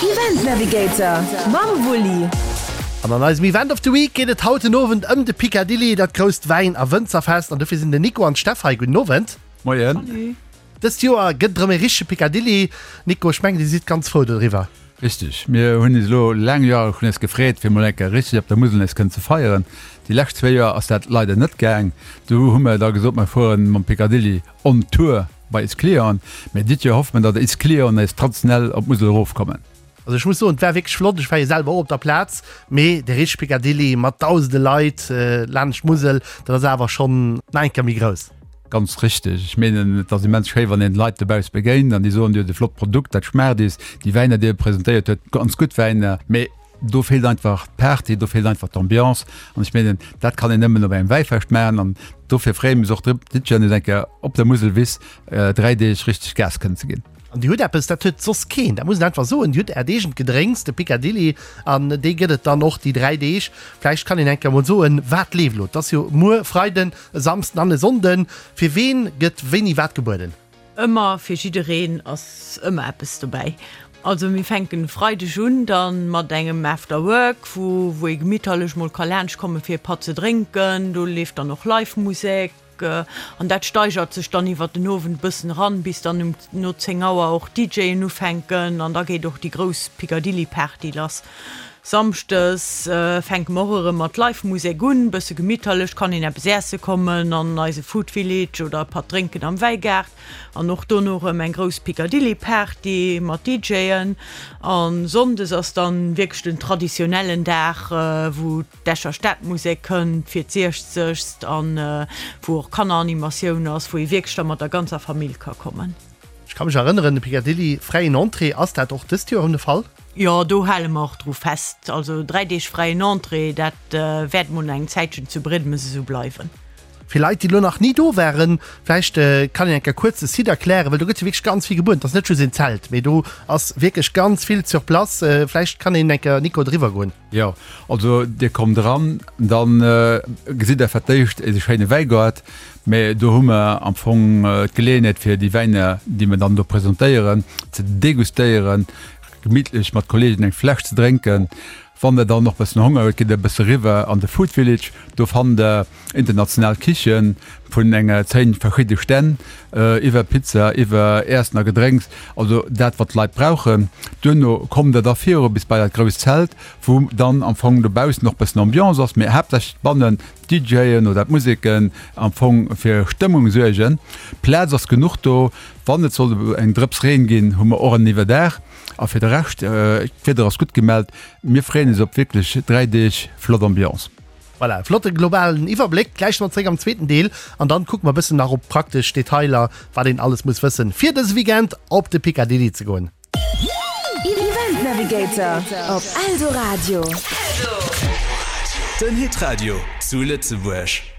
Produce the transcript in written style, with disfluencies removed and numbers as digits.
Event Navigator mam Wulli. An an eisem Event of the Week geet et haut den Owend ëm de Picadilly, dat grousst Wäin a Wënzerfest. An dofir sinn den Nico an d'Steff hei. Gudden Owend. Moien. Dëst Joer gëtt et erëm e richtege Picadilly. Nico, ech mengen, Dir sidd ganz frou doriwwer. Richteg. Mir hunn is elo laang Joere schonn nees gefreet, fir mol eng Kéier richteg op der Musel nees kënnen ze feieren. Déi lescht zwéi Joer ass dat leider net gaang. Du hu mer da gesot, mer fueren mam Picadilly on Tour bei is Clienten. Mee dit Joer hoffe mer, datt is Clienten nees traditionell op d'Musel erofkommen. Also ech muss soen, et war wierklech flott. Ech war jo selwer och op der Plaz, mee de richtege Picadilly mat dausende Leit laanscht d'Musel, dat ass awer schonn nach eng Kéier méi grouss. Ganz richteg. Ech meenen, et ass immens schéi, wann een d'Leit dobausse begéint an déi soen, Dir hutt e flott Produkt, dat schmaacht is, déi Wäiner, déi Dir presentéiert huet, ganz gutt Wäiner. Mee do feelt einfach d'Party, do feelt einfach d'Ambiance. An ech meenen, dat kann een nëmmen op engem Wäifescht maachen. An dofir freeë mir eis och drop, dit Joer nees eng Kéier op der Muselwiss 3 Deeg richteg Gas kënnen ze ginn. An Dir hutt eppes, dat huet soss keen, dat muss een einfach soen, Dir hutt Äert eegent Gedrénks, de Picadilly, an dee gëtt et dann och déi 3 Deeg. Vläicht kann een eng Kéier emol soen, wat leeft elo? Et ass jo muer Freiden, e Samsden an e Sonnden. Fir ween gëtt wéini wat gebueden? Ëmmer, fir jiddereen ass ëmmer eppes dobäi. Also mir fänken e Freideg un dann mat engem After Work, wou wou ee gemitterlech mol ka laanscht komme fir e Patt ze drénken. Do leeft dann och Live Musek. An dat steigert sech dann iwwert den Owend e bëssen eran, bis dann um no 10 Auer och d'DJen ufänken an da geet och déi grouss Picadilly-Party lass. Samschdes fänke mer och erëm mat Live-Musek un, bësse gemitterlech, kann een eppes äesse kommen an eise Food Village oder e Patt drénken am Wäigaart. An och dono erëm eng grouss Picadilly-Party mat DJen. A Sonndes ass dann wierklech den traditionellen Dag, wou. D'Escher Stadmusek kënnt fir d'Siechzegst an wou och Kanneranimatioun ass, wou ee wierklech da mat der ganzer Famill ka kommen. Ech ka mech erënneren, de Picadilly, fräien Entrée, ass dat och dëst Joer erëm de Fall? Jo, do hale mer och dru fest. Also 3 Deeg fräien Entrée, dat wäert mol nach eng Zäitchen zu Brédemes esou bleiwen. Fir Leit, déi elo nach ni do waren, vläicht kann een eng Kéier kuerz de Site erklären, well do gëtt jo wierklech ganz vill gebueden. Et ass net just een Zelt, mee do ass wierklech ganz vill sur place. Vläicht kann een eng Kéier, Nico, driwwer goen. Jo, also Dir kommt eran, dann gesitt Der fir d'éischt eise schéine Wäigaart. Mä do hu mer am Fong d'Geleeënheet fir déi Wäiner, déi mer dann do presentéieren, ze degustéieren, gemittlech mat Kollegen eng Fläsch ze drénken. Wann der dann och bëssen Honger hutt, gitt der e bësse riwwer an de Food Village. Do fannt der international Kichen vun enger 10 verschidde Stänn, iwwer Pizza, iwwer Äessen a Gedrénks, also dat wat d'Leit brauchen. Duerno kommt der da viru bis bei dat grousst Zelt, wou dann am Fong dobaussen och bëssen Ambiance ass, mee haaptsächlech bannen d'DJen oder d'Museken am Fong fir Stëmmung suergen. Plaz ass genuch do. Wann et sollt eng Drëps Reen ginn, hu mer och en Iwwerdaach. A fir de Rescht, d'Wieder ass gutt gemellt, mir freeën eis op wierklech 3 Deeg flott Ambiance. Voilà, e flotte globalen Iwwerbléck. Gläich si mer zréck am zweeten Deel an dann kucke mer e bëssen nach op praktesch Detailer, wat een alles muss wëssen, fir dëse Weekend op de Picadilly ze goen. Event Navigator op Eldoradio. Den Hitradio zu Lëtzebuerg.